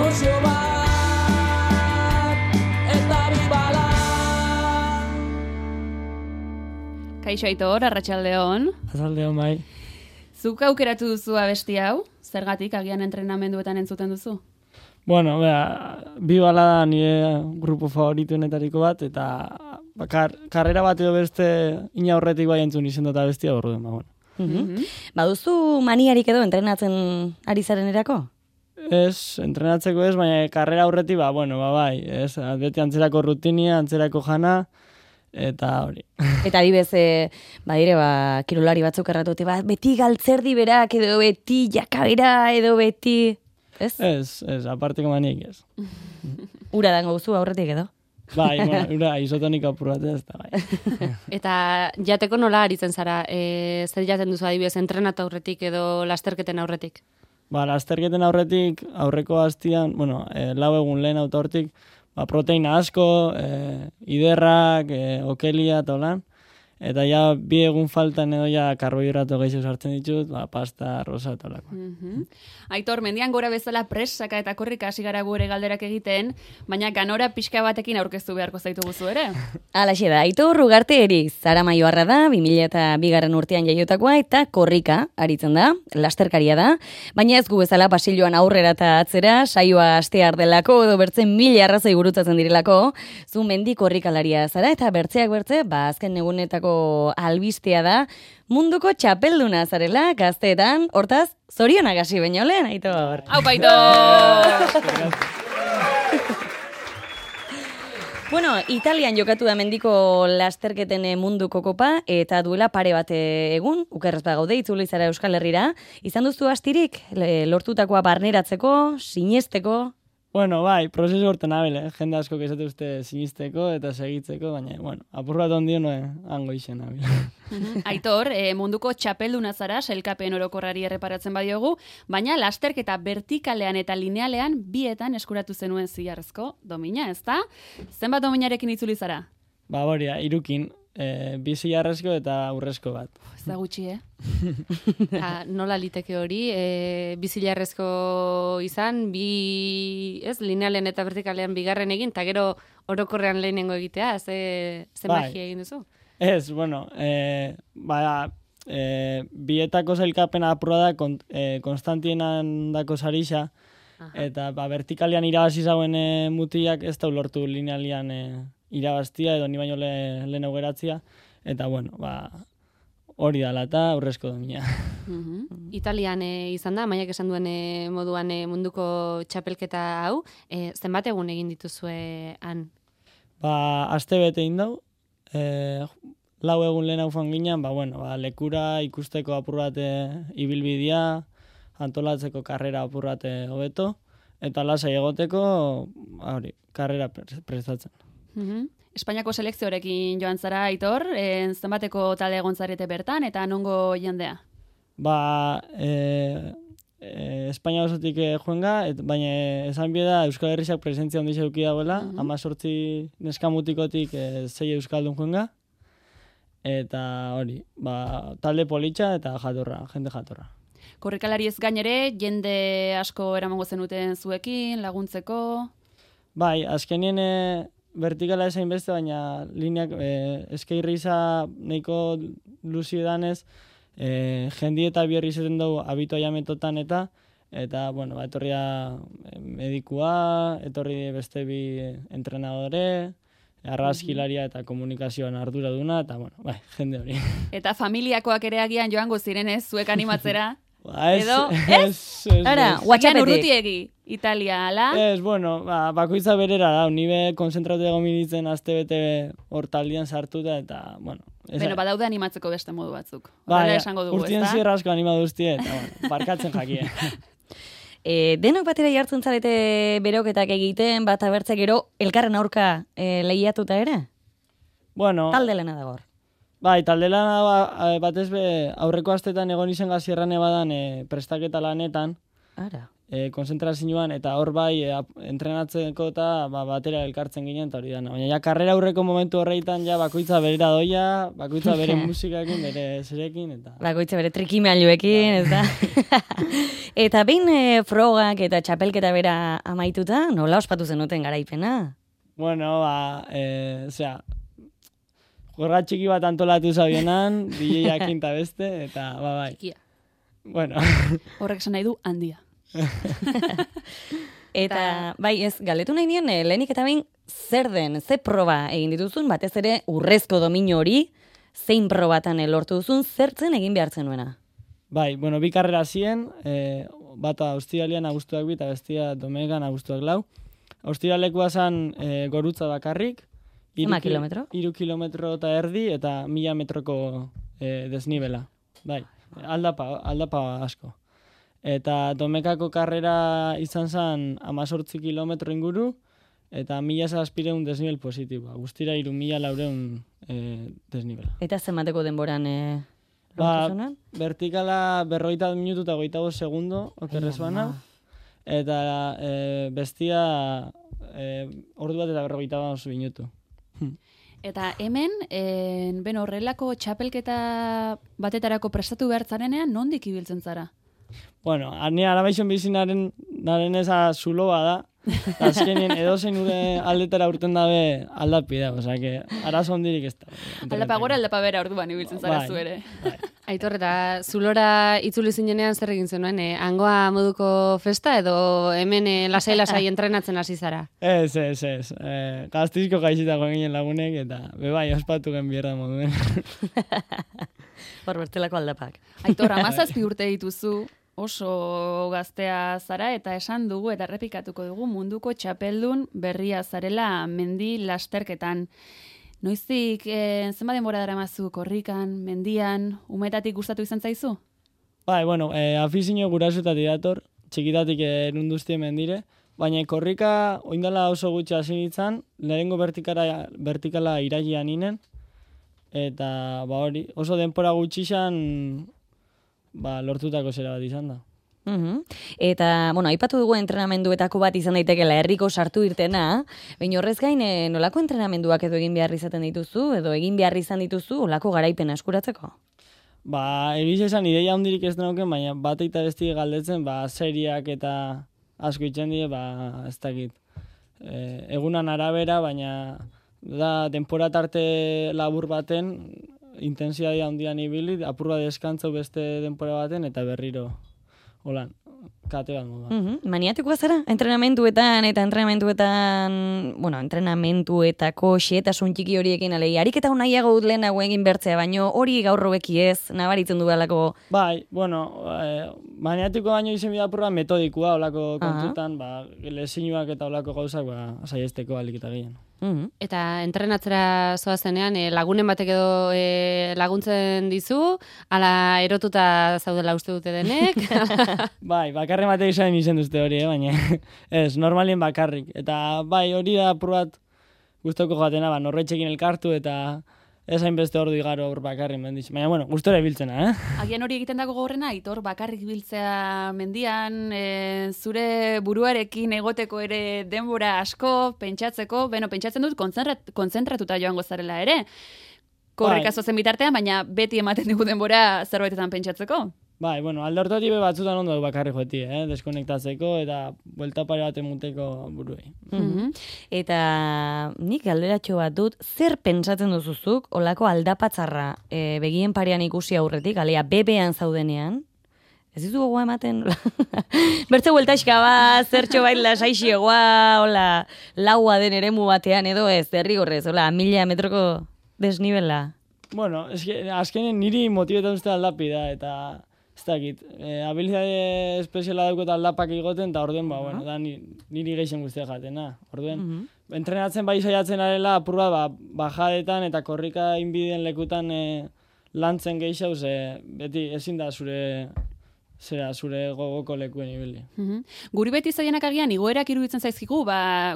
mozio bat, eta bibala. Kaixo Aitor, arratsaldeon. Arratsaldeon bai. Zuk aukeratu duzu abesti hau? Zergatik agian entrenamenduetan entzuten duzu? Bueno, bibala da nire grupo favorituenetariko bat, eta karrera bat edo beste ina horretik bai entzun izen dut abestia orduen, ba, bueno. Baduzu maniarik edo entrenatzen ari zaren erako? Ez, entrenatzeko ez, baina karrera horretik, bai, ez, beti antzerako rutinia, antzerako jana, eta hori. Eta adibez, badire, kirolari batzuk erratute, beti galtzerdi berak, edo beti jakabera, edo beti... Ez? Ez, aparteko manik ez. Ura dango guzu aurretik edo? Bai, ura, isotonik apurratea ez da, bai. Eta jateko nola aritzen zara? Zer jaten duzu adibidez, entrenatu aurretik edo lasterketen aurretik? Lasterketen aurretik, aurreko hastian, 4 egun lehen auto hortik, proteina asko, iderrak, okelia eta holan. Eta ja 2 egun faltan edo ja karbohidrato gehiago sartzen ditut, pasta, arroza eta holako. Aitor, mendian gora bezala presaka eta korrika hasi gara gure galderak egiten, baina ganora pixka batekin aurkeztu beharko zaitu guzu ere. Alaxe da, Aitor Ugarte Eriz, Zara Maioarra da, 2002 urtean jaiotakoa eta korrika aritzen da, lasterkaria da, baina ez gu bezala pasilloan aurrera eta atzera, saioa astear delako edo bertzen 1000 arrazoi gurutzatzen direlako, zu mendi korrikalaria zara eta bertzeak bertze, azken egunetako albistea da, munduko txapelduna zarela gazteetan, hortaz, zorionak hasi baino lehen, Aitor. Aupa, Aitor! Bueno, Italian jokatu da mendiko lasterketen munduko kopa, eta duela pare bat egun, ukerrez gaude, itzuli zara Euskal Herrira. Izan duzu astirik, lortutakoa barneratzeko, sinesteko? Bueno, bai, prozesu horten abele, jende asko kezatu uste sinisteko eta segitzeko, baina, apur bat ondio hango izen abele. Aitor, munduko txapelduna zara, sailkapen orokorrari erreparatzen badiogu, baina lasterketa vertikalean eta linealean bietan eskuratu zenuen zilarrezko domina, ezta? Zenbat dominarekin itzuli zara? Boria, 3, 2 zilarrezko eta urrezko bat. Ez da gutxi, Nola liteke hori, 2 zilarrezko izan, linealen eta vertikalean bigarren egin, eta gero orokorrean lehenengo egitea, ze magia egin duzu? Ez, bietako zailkapena apurra da Konstantienan dako sarisa, eta vertikalean irabazi zauen mutilak ez da ulortu linealian irabaztia edo ni baino lehen augeratzia, eta hori dala eta aurrezko domina. Italian izan da, Maiak esan duen moduan munduko txapelketa hau, zenbat egun egin dituzue han? Aste bete indau, 4 egun lehen hau fanginan, lekura ikusteko apurrate ibilbidea, antolatzeko karrera apurrate hobeto, eta lasai egoteko, karrera prestatzen. Espainiako selekzioarekin joan zara, Aitor, zenbateko talde egon zarete bertan, eta nongo jendea? Espainia osotik joenga, baina esan bieda Euskal Herriak presentzia ondiz eduki dagoela, 18 neskamutikotik 6 euskaldun joenga, eta hori, talde politxa eta jende jatorra. Korrikalari ez gainere, jende asko eramango zenuten zuekin, laguntzeko? Bai, azkenien vertikala esain beste, baina lineak eskeirriza nahiko luzi edanez, jendi eta bierri zeten dugu abitoa jametotan eta, etorria medikua, etorri beste 2 entrenadore, arrazkilaria eta komunikazioan arduraduna, eta jende hori. Eta familiakoak ere agian joango zirenez, zuek animatzera? Edo, urrutiegi, Italia, ala? Ez, bakoitza berera da, nibe konzentratu egon minitzen azte bete hortaldian sartuta, eta, badaude animatzeko beste modu batzuk. Horrela esango dugu, urtien zierrazko animatu duztie, eta, barkatzen jakie. Denok batera jartzen zarete beroketak egiten, bat abertzea gero elkarren aurka lehiatuta ere? Talde lehena dagor. Bai, talde lana batez aurreko astetan egon izen gazierran ebadan prestaketa lanetan. Ara. konzentrazioan, eta hor bai entrenatzeko eta batera elkartzen ginen, eta hori dana. Baina ja, karrera aurreko momentu horreitan ja bakoitza berera doia, bakoitza bere musikakin, bere zerekin, eta... Bakoitza bere trikimailuekin, ez da? Eta behin frogak eta txapelketa bera amaituta, nola ospatu zenuten garaipena? Bueno, jorra txiki bat antolatu zabionan, DJ-jakin eta beste, eta bai. Txikia. Bueno. Horrek esan nahi du handia. Eta, bai, ez, galdetu nahi nien, lehenik eta behin, zer den, ze proba egin dituzun, batez ere urrezko domino hori, zein probatan lortu duzun, zertzen egin behartzen nuena? Bai, bueno, bi karrera ziren, bata Austrialian abuztuak bi, eta bestia Domegan abuztuak lau. Austrialekua zan gorutza bakarrik. Zema kilometro? 3 kilometro eta erdi, eta 1000 metroko desnibela. Bai, aldapa asko. Eta Domekako karrera izan zen 18 kilometro inguru, eta 1700 desnibel positiboa. Guztira 3400 desnibela. Eta zenbateko denboran lortu zunan? Vertikala 40 minutu eta 25 segundo, okerrez bana. Eta bestia ordu bat eta 45 minutu. Eta hemen, horrelako txapelketa batetarako prestatu behar zarenean, nondik ibiltzen zara? Bueno, ni arabaixon bizinaren eza zuloa da, eta azkenien edozein ure aldetara urten dabe aldapi da, osea, que arazo ondirik ez da. Aldapa gora, aldapa bera orduan ibiltzen zara zu ere. Bai. Aitor, eta zulora itzuli zinenean zer egin zenuen? Hangoa moduko festa edo hemen lasai-lasai entrenatzen hasi zara? Ez. Gaztizko gaixitako ginen lagunek, eta bebai ospatu gen bierda moduen. Hor bestelako aldapak. Aitor, 17 urte dituzu, oso gaztea zara, eta esan dugu eta errepikatuko dugu munduko txapeldun berria zarela mendi lasterketan. Noiztik, zenbat denbora daramazu korrikan, mendian, umetatik gustatu izan zaizu? Bai, bueno, afizio gurasutatik dator, txikitatik nunduztie mendire, baina korrika oindala oso gutxi hasi nintzen, lehengo vertikala irailean inen, eta hori, oso denpora gutxixan lortutako zera bat izan da. Eta, bueno, aipatu dugu entrenamenduetako bat izan daitekela herriko sartu irtena, baina horrez gain, nolako entrenamenduak edo egin behar izaten dituzu, edo egin behar izan dituzu, olako garaipena eskuratzeko? Egiz esan ideia hondirik ez denoken, baina bat eta besti galdetzen, seriak eta asko itzen die, ez dakit. Egunan arabera, baina da, denpora tarte labur baten, intensidadia hondian ibili, apurra deskantzau beste denpora baten, eta berriro. Holan, kate bat moda. Maniatikoa zara? Entrenamenduetan, entrenamenduetako xeetasun txiki horiekin, alei, ariketa nahiago dut lehenago egin bertzea, baino hori gaur hobeki ez, nabaritzen du alako... Bai, bueno, maniatiko baino izen bidapurra metodikoa, olako kontutan, lesinuak eta olako gauzak, saiesteko alik eta gehien. Eta entrenatzera zoazenean, lagunen batek edo laguntzen dizu, ala erotuta zaudela uste dute denek? Bai, bakarren batek izen duzte hori, baina ez, normalien bakarrik. Eta bai, hori da apurrat guztoko jatena, norretxekin elkartu eta ez hainbeste ordu igaro hor bakarrik mendiz. Baina, bueno, gustora biltzena, Agian hori egiten dago gogorrena, Aitor, bakarrik biltzea mendian, zure buruarekin egoteko ere denbora asko, pentsatzeko, pentsatzen dut kontzentratuta joango zarela ere. Korrika zozen bitartean, baina beti ematen dugu denbora zerbaitetan pentsatzeko. Bai, bueno, alde hortatik batzutan ondo du bakarrik joti, deskonektatzeko eta buelta pare bat emuteko buruei. Eta nik galderatxo bat dut, zer pentsatzen duzuzuk olako aldapatzarra begien parean ikusi aurretik, alea bebean zaudenean? Ez dizu gogoa ematen? Bertze bueltaxka bat, zertxo bait lasaixioa, hola, laua den eremu batean edo ez, derrigorrez, hola, 1000 metroko desnibela. Bueno, azkenen niri motibetan uste aldapi da, eta ez dakit, habilidade espeziala daukot aldapak egoten, eta orduen, bueno, da niri geixen guztia jatena. Orduen, entrenatzen bai saiatzen arela, apurra bajadetan eta korrika inbideen lekutan lantzen geixau, beti ezin da zure gogoko lekuen ibili. Guri beti zaienak agian, igoerak iruditzen zaizkigu,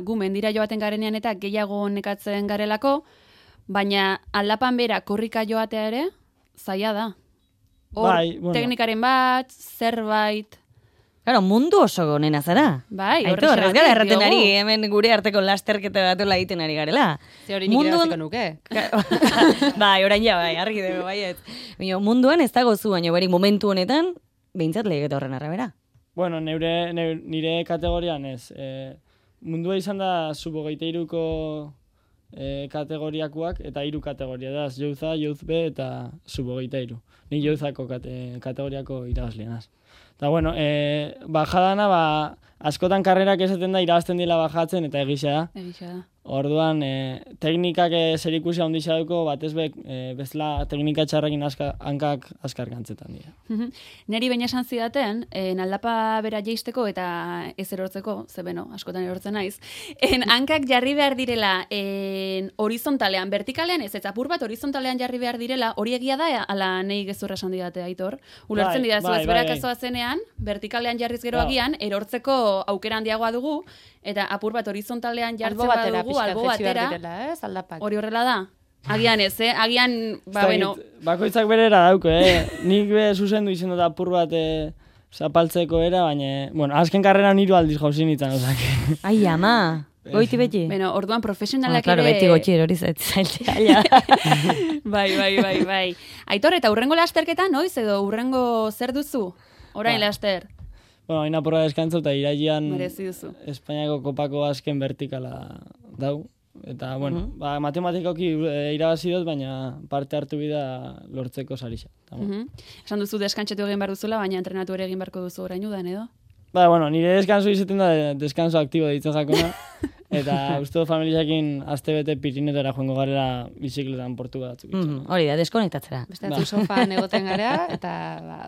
gu mendira joaten garenean eta gehiago nekatzen garelako, baina aldapan bera korrika joatea ere, zaila da. Hor, teknikaren bat, zerbait... Claro, mundu oso gonena zara. Bai, Aitor, ez gara erraten diogu. ari, hemen gure arteko lasterketa batola egiten ari garela. Ze hori nik irabaziko nuke. Bai, orain ja, bai, argi dugu, baiet. Baina, munduan ez dago zu, baina beri momentu honetan, behintzat lehigeta horren arabera. Bueno, nire kategorian ez. Mundua izan da sub-23ko kategoriakoak eta 3 kategoria da. Youth-A, Youth-B eta sub-23. Ni Youth-ako kategoriako irabazlianaz. Eta bueno, bajadana, askotan karrerak esaten da irabazten dila bajatzen eta egisa da. Egisa da. Orduan, teknikak zerikusi handia dauko, batez bezala teknika txarrekin hankak askar gantzetan dira. Neri baina esan zidaten, aldapa bera jeisteko eta ez erortzeko, ze beno, askotan erortzen naiz, hankak jarri behar direla horizontalean, vertikalean ez apur bat horizontalean jarri behar direla, hori egia da, ala nahi gezurra esan didate, Aitor. Ulertzen dira, ez berak azoa zenean, vertikalean jarriz gero agian, erortzeko aukera handiagoa dugu, eta apur bat horizontalean jartzen badugu, albo batera, hori horrela da? Agian ez, agian, bueno. Bakoitzak berera dauko, nik zuzendu izen dut apur bat zapaltzeko era, baina, bueno, azken karreran 3 aldiz jauzin itzan, ozak. Ai, ama, goiti beti. Bueno, orduan profesionalak claro, ere... beti gotxi erori zaitzea. Bai. Aitor, eta urrengo lasterketa, noiz edo urrengo zer duzu? Orain laster. Bueno, hain apurra deskantzo eta irailean merezi duzu. Espainiako kopako azken vertikala dau. Eta, bueno, matematikoki irabazi dut, baina parte hartu bida lortzeko sarisa. Esan duzu deskantxetu egin behar duzula, baina entrenatu ere egin beharko duzu orain udan, edo? Ba, bueno, nire deskanso izaten da deskanso aktibo ditzen jakona. Eta uste dut familiakin aste-bete Pirinetara joango garela bizikletan portuga batzuk. Hori da, deskonektatzera. Beste batzuk sofan egoten gara, eta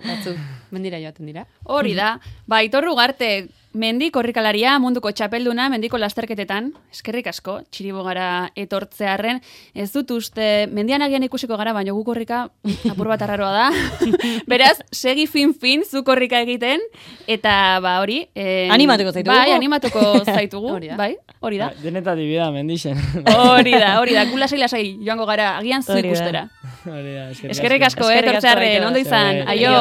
batzuk mendira joaten dira. Hori da. Ba, Aitor Ugarte, mendi korrikalaria, munduko txapelduna, mendiko lasterketetan, eskerrik asko, txiribogara etortzearren, ez dut uste, mendian agian ikusiko gara, baina gu korrika apur bat arraroa da. Beraz, segi fin, zu korrika egiten, eta ba hori... animatuko zaitugu. Bai, animatuko zaitugu, bai, hori da. Denetatik bida, mendixen. Hori da, gu lasai joango gara, agian zu ikustera. Hori da, eskerrik asko, etortzearren, ondo izan, aio!